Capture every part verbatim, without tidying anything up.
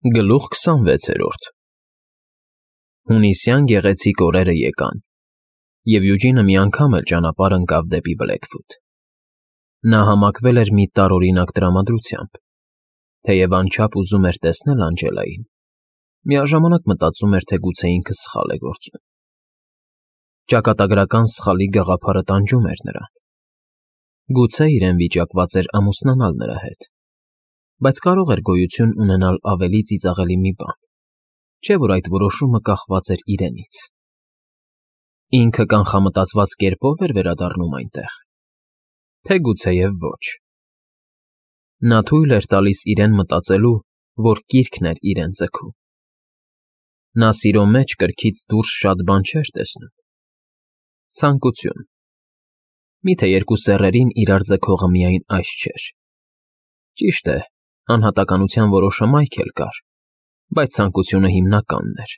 Գլուխ քսանվեցերորդ Հունիսյան գեղեցիկ օրերը եկան, և Յուջինը մի անգամ էլ ճանապարհ ընկավ դեպի Բլեքվուդ. նա համակվել էր մի տարօրինակ տրամադրությամբ, թեև անչափ ուզում էր տեսնել Անջելային, միաժամանակ մտածում էր, թե գուցե ինքը սխալ է գործում. ճակատագրական սխալի գաղափարը տանջում էր նրան, գուցե իրեն վիճակված էր ամուսնանալ նրա հետ, բայց կարող էր գոյություն ունենալ ավելի ծիծաղելի մի բան, չէ՞ որ այդ որոշումը կախված էր իրենից. ինքը կանխամտածված կերպով էր վերադառնում այնտեղ, թե գուցեև ոչ. նա թույլ էր տալիս իրեն մտածելու, որ կիրքն էր իրեն ձգում. նա սիրո մեջ կրքից դուրս շատ բան չէր տեսնում. ցանկություն, միթե երկու սեռերին իրար ձգողը միայն այս չէր, ճիշտ է, անհատականության որոշ հմայք էլ կար, բայց ցանկությունը հիմնականն էր,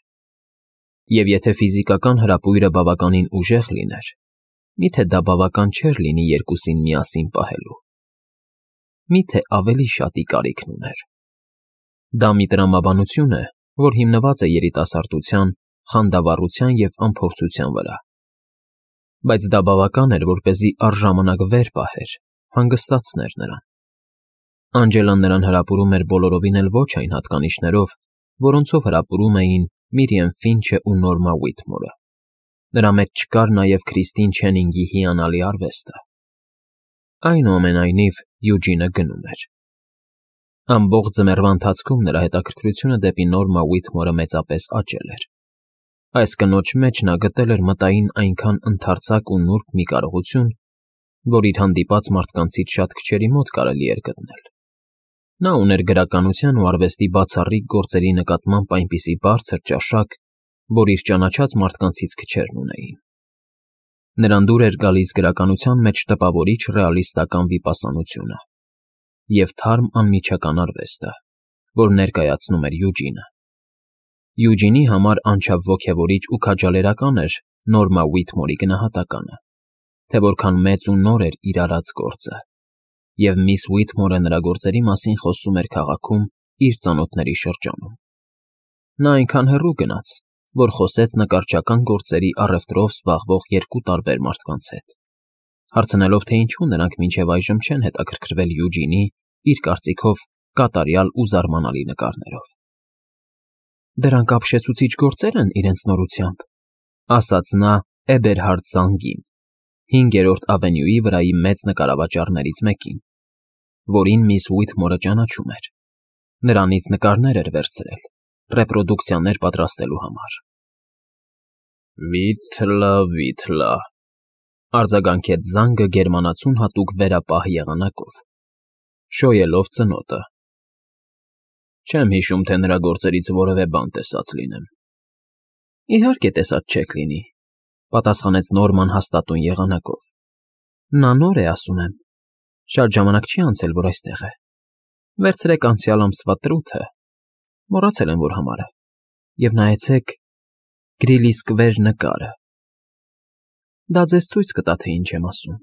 և եթե ֆիզիկական հրապույրը բավականին ուժեղ լիներ, միթե դա բավական չէր լինի երկուսին միասին պահելու, միթե ավելի շատի կարիքն ուներ. դա մի տրամաբանություն է, որ հիմնված է երիտասարդության, խանդավառության և անփորձության վրա, բայց դա բավական էր, որպեսզի առժամանակ վեր պահեր, հանգստացներ նրան. Անջելան նրան հրապուրում էր բոլորովին էլ ոչ այն հատկանիշներով, որոնցով հրապուրում էին Միրիամ Ֆինչը ու Նորմա Ուիթմորը, նրա մեջ չկար նաև Քրիստին Չենինգի հիանալի արվեստը. այնուամենայնիվ Յուջինը գնում էր. ամբողջ ձմեռվա ընթացքում նրա հետաքրքրությունը դեպի Նորմա Ուիթմորը մեծապես աճել էր, այս կնոջ մեջ նա գտել էր մտային այնքան ընդարձակ ու նուրբ մի կարողություն, որ իր հանդիպած մարդկանցից շատ քչերի մոտ կարելի էր գտնել. Նա ուներ գրականության ու արվեստի բացառիկ գործերի նկատմամբ այնպիսի բարձր ճաշակ, որ իր ճանաչած մարդկանցից քչերն ունեին. նրան դուր էր գալիս գրականության մեջ տպավորիչ ռեալիստական վիպասանությունը և թարմ անմիջական արվեստը, որ ներկայացնում էր Յուջինը. Յուջինի համար անչափ ոգևորիչ ու քաջալերական էր Նորմա Ուիթմորի գնահատականը, թե որքան մեծ ու նոր էր իր արած գործը, և միս Ուիթմորը նրա գործերի մասին խոսում էր քաղաքում իր ծանոթների շրջանում. նա այնքան հեռու գնաց, որ խոսեց նկարչական գործերի առևտրով զբաղվող երկու տարբեր մարդկանց հետ, հարցնելով, թե ինչու նրանք մինչև այժմ չեն հետաքրքրվել Յուջինի, իր կարծիքով, կատարյալ ու զարմանալի նկարներով։ Դրանք ապշեցուցիչ գործեր են իրենց նորությամբ, ասաց նա Էբերհարդ Զանգին, հինգերորդ ավենյուի վրայի մեծ նկարավաճառներից մեկին, որին միս Ուիթմորը ճանաչում էր, նրանից նկարներ էր վերցրել, ռեպրոդուկցիաներ պատրաստելու համար։ Վիթլա, Վիթլա, արձագանքեց Զանգը գերմանացուն հատուկ վերապահ եղանակով, շոյելով ծնոտը. չեմ հիշում, թե նրա գործերից որևէ բան տեսած լինեմ։ Իհարկե տեսած չեք լինի, պատասխանեց Նորման հաստատուն եղանակով. նա նոր է, ասում եմ, շատ ժամանակ չի անցել, որ այստեղ է, վերցրեք անցյալ ամսվա տրութը, մոռացել եմ, որ համար է, և նայեցեք Գրիլի Սկվեր նկարը, դա ձեզ ցույց կտա, թե ինչ եմ ասում։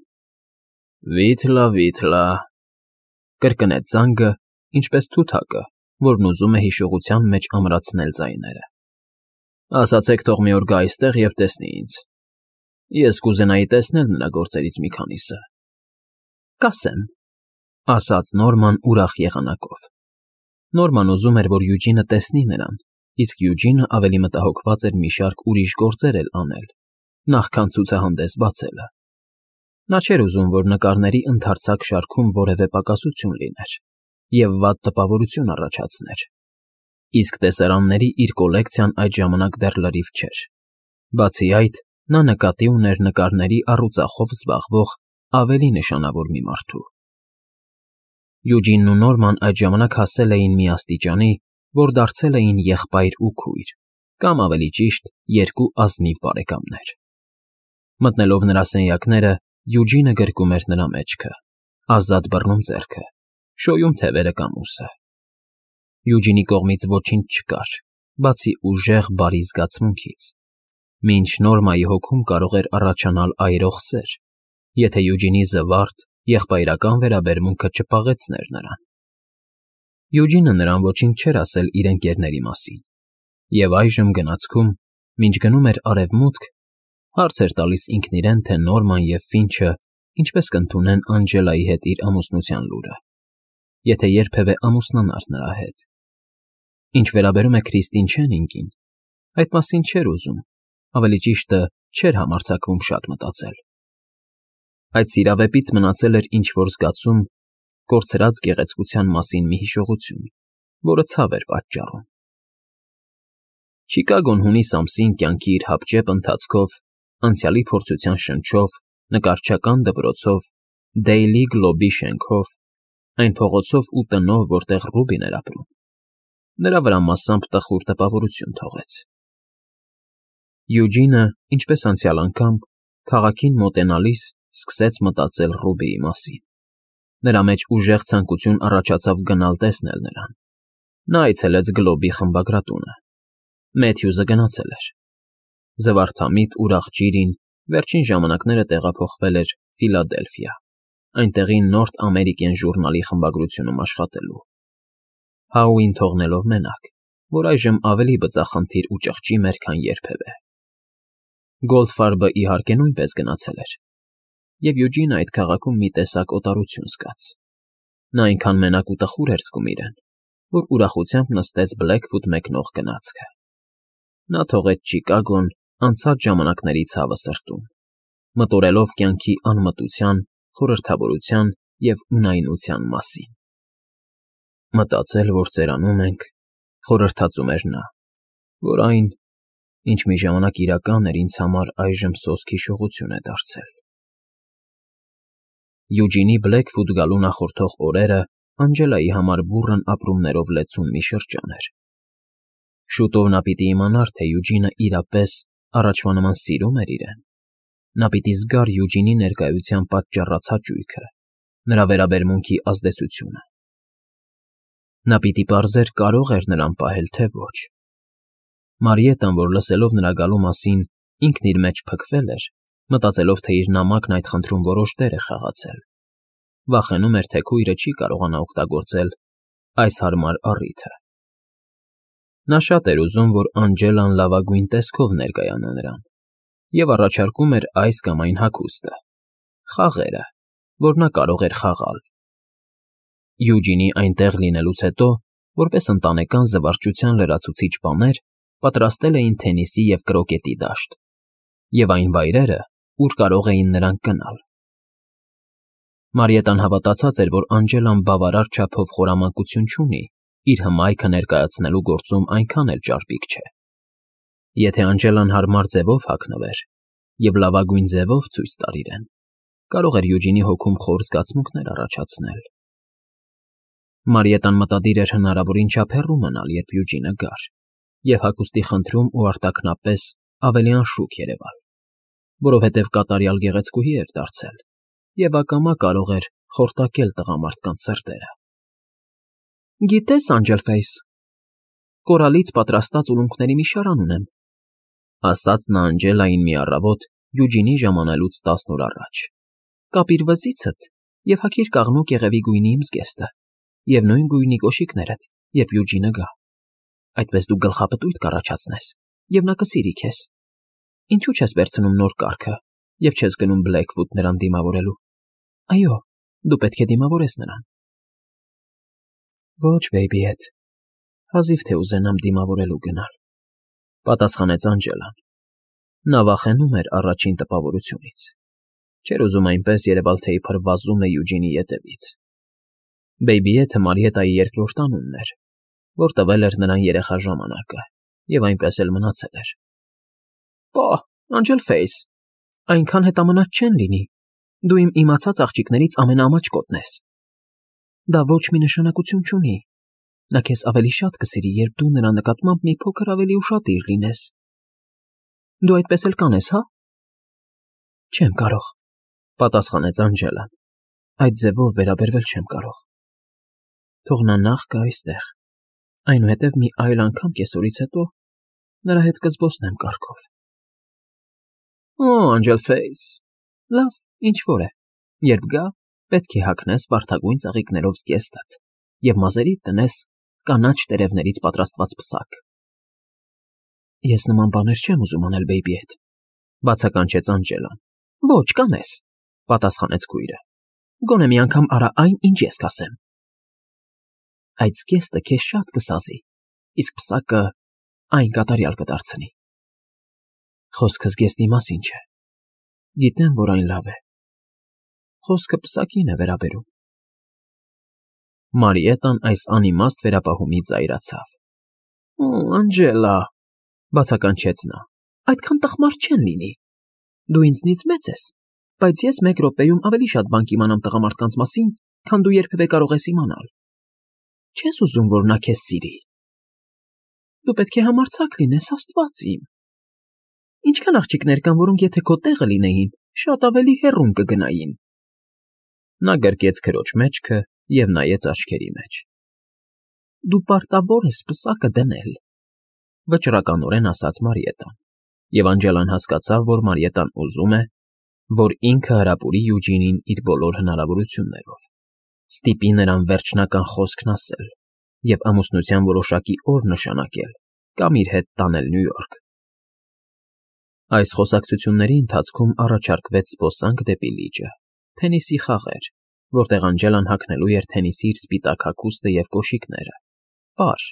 Վիթլա, Վիթլա, կրկնեց Զանգը, ինչպես թութակը, որն ուզում է հիշողության մեջ ամրացնել ձայները։ Ասացեք, թող մի օր գա այստեղ և տեսնի ինձ, ես կուզենայի տեսնել նրա գործերից մի քանիսը։ Կասեմ, ասաց Նորման ուրախ եղանակով. Նորման ուզում էր, որ Յուջինը տեսնի նրան, իսկ Յուջինը ավելի մտահոգված էր մի շարք ուրիշ գործեր էլ անել, նախքան ցուցահանդես բացելը։ Նա չէր ուզում, որ նկարների ընդարձակ շարքում որևէ պակասություն լիներ և վատ տպավորություն առաջացներ, իսկ տեսարանների իր կոլեկցիան այդ ժամանակ դեռ լրիվ չէր, բացի այդ, նա նկատի ուներ նկարների առուծախով զբաղվող ավելի նշանավոր մի մարդու։ Յուջինն ու Նորման այդ ժամանակ հասել էին մի աստիճանի, որ դարձել էին եղբայր ու քույր, կամ ավելի ճիշտ, երկու ազնիվ բարեկամներ։ Մտնելով նրա սենյակները, Յուջինը գրկում էր նրա մեջքը, ազատ բռնում ձեռքը, շոյում թևերը կամ ուսը։ Յուջինի կողմից ոչինչ չկար, բացի ուժեղ բարի զգացմունքից, մինչ Նորմայի հոգում կարող էր առաջանալ այրող սեր, եթե Յուջինի զվարթ, եղբայրական վերաբերմունքը չպաղեցներ նրան։ Յուջինը նրան ոչինչ չէր ասել իր ընկերների մասին, և այժմ գնացքում, մինչ գնում էր արևմուտք, հարց էր տալիս ինքն իրեն, թե Նորման և Ֆինչը ինչպես կընդունեն Անջելայի հետ իր ամուսնության լուրը, եթե երբևէ ամուսնանար նրա հետ։ Ինչ վերաբերում է Քրիստին Չենինգին, այդ մասին չէր ուզում, ավելի ճիշտը չէր համարձակվում շատ մտածել։ Այդ սիրավեպից մնացել էր ինչ-որ զգացում, կորցրած գեղեցկության մասին մի հիշողություն, որը ցավ էր պատճառում։ Չիկագոն հունիս ամսին կյանքի իր հապճեպ ընթացքով, անցյալի փորձության շնչով, նկարչական դպրոցով, Դեյլի Գլոբի շենքով, այն փողոցով ու տնով, որտեղ Ռուբին էր ապրում, նրա վրա մասամբ տխուր տպավորություն թողեց։ Յուջինը, ինչպես անցյալ անգամ, քաղաքին մոտենալիս սկսեց մտածել Ռուբիի մասին։ Նրա մեջ ուժեղ ցանկություն առաջացավ գնալ տեսնել նրան։ Նա այցելեց Գլոբի խմբագրատունը։ Մեթյուզը գնացել էր։ Զվարթամիտ ուրախ Ջիրին վերջին ժամանակները տեղափոխվել էր Ֆիլադելֆիա, այնտեղի Նորթ Ամերիկյան ժուրնալի խմբագրությունում աշխատելու, Հաուին թողնելով մենակ, որ այժմ ավելի բծախնդիր ու ճղճի էր, քան երբևէ։ Գոլդֆարբը, իհարկե, նույնպես գնացել էր, և Յուջինը այդ քաղաքում մի տեսակ օտարություն զգաց։ Նա այնքան մենակ ու տխուր էր զգում իրեն, որ ուրախությամբ նստեց Բլեքվուդ մեկնող գնացքը։ Նա թողեց Չիկագոն անցած ժամանակների ցավը սրտում, մտորելով կյանքի անմտության, խորհրդավորության և ունայնության մասին։ Մտածել, որ ծերանում ենք, խորհրդածում էր նա, որ այն, ինչ մի ժամանակ իրական էր, ինձ համար այժմ սոսկ հիշողություն է դարձել։ Յուջինի Բլեքվուդ գալու նախորդող օրերը Անջելայի համար բուռն ապրումներով լեցուն մի շրջան էր։ Շուտով նա պիտի իմանար, թե Յուջինը իրապես առաջվա նման սիրում էր իրեն։ Նա պիտի զգար Յուջինի ներկայության պատճառած հաճույքը, նրա վերաբերմունքի ազդեցությունը։ Նա պիտի պարզեր կարող էր նրան պահել, թե ոչ։ Մարիետան, որ լսելով նրա գալու մասին ինքն իր մեջ փքվել էր, մտածելով, թե իր նամակն այդ խնդրում որոշ դեր է խաղացել, վախենում էր, թե քույրը չի կարողանա օգտագործել այս հարմար առիթը։ Նա շատ էր ուզում, որ Անջելան լավագույն տեսքով ներկայանա նրան, և առաջարկում էր այս կամ այն հագուստը, խաղերը, որ նա կարող էր խաղալ։ Յուջինի այնտեղ լինելուց հետո, որպես ընտանեկան զվարճության լրացուցիչ բաներ, պատրաստել էին թենիսի և կրոկետի դաշտ, և այն վայրերը, ուր կարող էին նրանք գնալ։ Մարիետան հավատացած էր, որ Անջելան բավարար չափով խորամանկություն չունի իր հմայքը ներկայացնելու գործում այնքան էլ ճարպիկ չէ։ Եթե Անջելան հարմար ձևով հագնվեր և լավագույն ձևով ցույց տար իրեն, կարող էր Յուջինի հոգում խոր զգացմունքներ առաջացնել։ Մարիետան մտադիր էր հնարավորին չափ հեռու մնալ, երբ Յուջինը գար, և հագուստի խնդրում ու արտաքնապես ավելի անշուք երևալ, որովհետև կատարյալ գեղեցկուհի էր դարձել և ակամա կարող էր խորտակել տղամարդկանց սրտերը։ Գիտես, Անջելֆեյս, կորալից պատրաստած ուլունքների մի շարան ունեմ, ասաց նա Անջելային մի առավոտ Յուջինի ժամանելուց տասն օր առաջ։ Կապիր վզիցդ և հագիր կաղնու կեղևի գույնի իմ զգեստը և նույն գույնի կոշիկներդ, երբ Յուջինը գա։ Այդպես դու գլխապտույտ կառաջացնես, և նա կսիրի քեզ։ Ինչու՞ չես վերցնում նոր կառքը և չես գնում Բլեքվուդ նրան դիմավորելու։ Այո, դու պետք է դիմավորես նրան։ Ոչ, բեյբիեթ, հազիվ թե ուզենամ դիմավորելու գնալ, պատասխանեց Անջելան։ Նա վախենում էր առաջին տպավորությունից։ Չէր ուզում այնպես երևալ, թե իբր վազում է Յուջինի ետևից։ Բեյբիեթը Մարիետայի երկրորդ անունն էր, որ տվել էր նրան երեխա ժամանակը, և այնպես էլ մնացել էր։ Պահ, Անջելֆեյս, այնքան հետամնաց չեն լինի, դու իմ իմացած աղջիկներից ամենաամաչկոտն ես։ Դա ոչ մի նշանակություն չունի։ Նա քեզ ավելի շատ կսիրի, երբ դու նրա նկատմամբ մի փոքր ավելի ուշադիր լինես։ Դու այդպես էլ կանես, հա՞։ Չեմ կարող, պատասխանեց Անջելան։ Այդ ձևով վերաբերվել չեմ կարող։ Թող նա նախ գա այստեղ, այնուհետև մի այլ անգամ կեսօրից հետո նրա հետ կզբոսնեմ կառքով։ Օ, Անջելֆեյս, լավ, ինչ որ է, երբ գա, պետք է հագնես վարդագույն ծաղիկներով զգեստդ և մազերիդ տնես կանաչ տերևներից պատրաստված պսակ։ ֊ Ես նման բաներ չեմ ուզում անել բեյբի հետ,֊ բացականչեց Անջելան։ ֊ Ոչ, կանես,֊ պատասխանեց քույրը։ ֊ Գոնե մի անգամ արա այն, ինչ ես կասեմ։ Այդ զգեստը քեզ շատ կսազի, իսկ պսակը այն կատարյալ կդարձնի։ Խոսքը զգեստի մասին չէ։ Գիտեմ, որ այն լավ է։ Խոսքը պսակին է վերաբերում։ Մարիետան այս անիմաստ վերապահումից զայրացավ։ ֊ Անջելա,֊ բացականչեց նա,֊ այդքան տխմար չեն լինի։ Դու ինձնից մեծ ես, բայց ես մեկ րոպեում ավելի շատ բան կիմանամ տղամարդկանց մասին, քան դու երբևէ կարող ես իմանալ։ Չես ուզում, որ նա քեզ սիրի։ Դու պետք է համարձակ լինես, աստված իմ։ Ինչքան աղջիկներ կան, որոնք եթե քո տեղը լինեին, շատ ավելի հեռուն կգնային։ Նա գրկեց քրոջ մեջքը և նայեց աչքերի մեջ։ Դու պարտավոր ես պսակը դնել,֊ վճռականորեն ասաց Մարիետան, և Անջելան հասկացավ, որ Մարիետան ուզում է, որ ինքը հրապուրի Յուջինին իր բոլոր հնարավորություններով, ստիպի նրան վերջնական խոսքն ասել և ամուսնության որոշակի օր նշանակել կամ իր հետ տանել Նյու Յորք։ Այս խոսակցությունների ընթացքում առաջարկվեց զբոսանք դեպի լիճը, թենիսի խաղեր, որտեղ Անջելան հագնելու էր թենիսի իր սպիտակ հագուստը և կոշիկները, պար,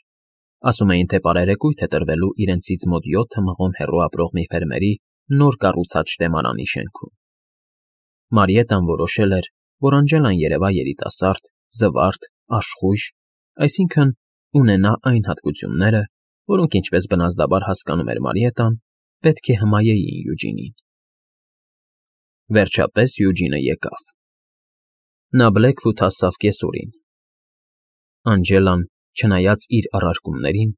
ասում էին, թե պարերեկույթ է տրվելու իրենցից մոտ յոթ մղոն հեռու ապրող մի ֆերմերի նոր կառուցած շտեմարանի շենքում։ Մարիետան որոշել էր, որ Անջելան երևա երիտասարդ, զվարթ, աշխույժ, այսինքն՝ ունենա այն հատկությունները, որոնք, ինչպես բնազդաբար հասկանում էր Մարիետան, պետք է հմայեին Յուջինին։ Վերջապես Յուջինը եկավ։ Նա Բլեքֆութ հասավ կեսօրին։ Անջելան, չնայած իր առարկումներին,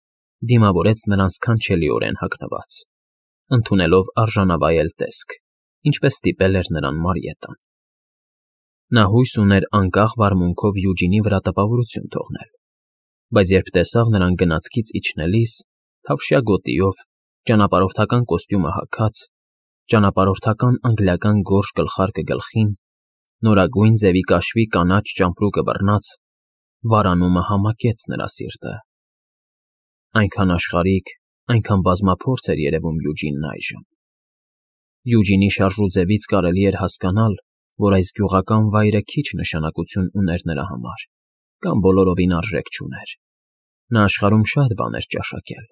դիմավորեց նրան սքանչելիորեն հագնված, ընդունելով արժանավայել տեսք, ինչպես ստիպել էր նրան Մարիետան։ Նա հույս ուներ անկախ վարմունքով Յուջինի վրա տպավորություն թողնել, բայց երբ տեսավ նրան գնացքից իջնելիս, թավշյա գոտիով, ճանապարհորդական կոստյումը հագած, ճանապարհորդական անգլիական գորշ գլխարկը գլխին, նորագույն ձևի կաշվի կանաչ ճամպրուկը բռնած, վարանումը համակեց նրա սիրտը։ Այնքան աշխարհիկ, այնքան բազմափորձ էր երևում Յուջինն այժմ։ Յուջինի շարժուձևից կարելի էր հասկանալ, որ այս գյուղական վայրը քիչ նշանակություն ուներ նրա համար, կամ բոլորովին արժեք չուներ։ Նա աշխարհում շատ բան էր ճաշակել։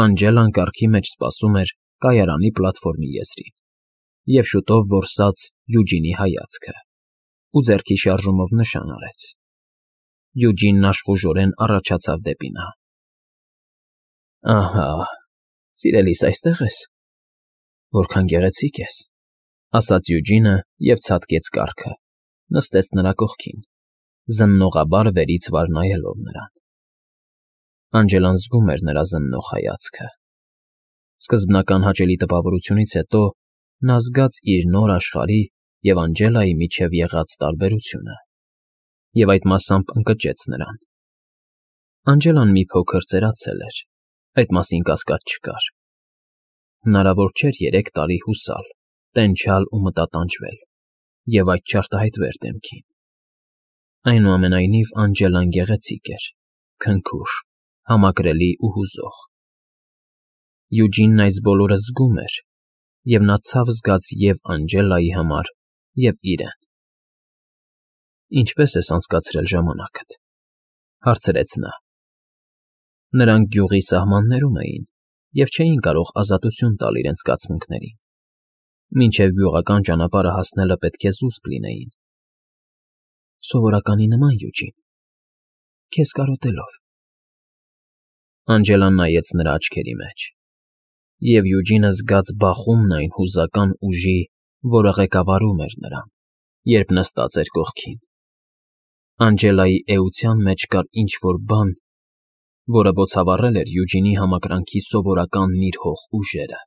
Անջելան կառքի մեջ սպասում էր կայարանի պլատֆորմի եզրին և շուտով որսաց Յուջինի հայացքը ու ձեռքի շարժումով նշան արեց։ Յուջինն աշխուժորեն առաջացավ դեպի նա։ ֊ Ահա, սիրելիս, այստե՞ղ ես։ Որքան գեղեցիկ ես,֊ ասաց Յուջինը և ցատկեց կառքը, նստեց նրա կողքին, զննողաբար վերից վար նայելով նրան։ Անջելան զգում էր նրա զննող հայացքը։ Սկզբնական հաճելի տպավորությունից հետո նա զգաց իր նոր աշխարհի և Անջելայի միջև եղած տարբերությունը և այդ մասամբ ընկճեց նրան։ Անջելան մի փոքր ծերացել էր, այդ մասին կասկած չկար։ Հնարավոր չէր երեք տարի հուսալ, տենչալ ու մտատանջվել և այդ չարտահայտվեր դեմքին։ Այնուամենայնիվ Անջելան գեղեցիկ էր, քնքուշ, համակրելի ու հուզող։ Յուջինն այս բոլորը զգում էր, և նա ցավ զգաց և Անջելայի համար, և իրեն։ Ինչպե՞ս ես անցկացրել ժամանակդ,֊ հարցրեց նա։ Նրանք գյուղի սահմաններում էին և չէին կարող ազատություն տալ իրենց զգացմունքներին։ Մինչև գյուղական ճանապարհը հասնելը պետք է զուսպ լինեին։ Սովորականի նման, Յուջին, քեզ կարոտելով։ Անջելան նայեց նրա աչքերի մեջ, և Յուջինը զգաց բախումն այն հուզական ուժի, որը ղեկավարում էր նրան, երբ նստած էր կողքին։ Անջելայի էության մեջ կար ինչ֊որ բան, որը բոցավառել էր Յուջինի համակրանքի սովորական նիրհող ուժերը։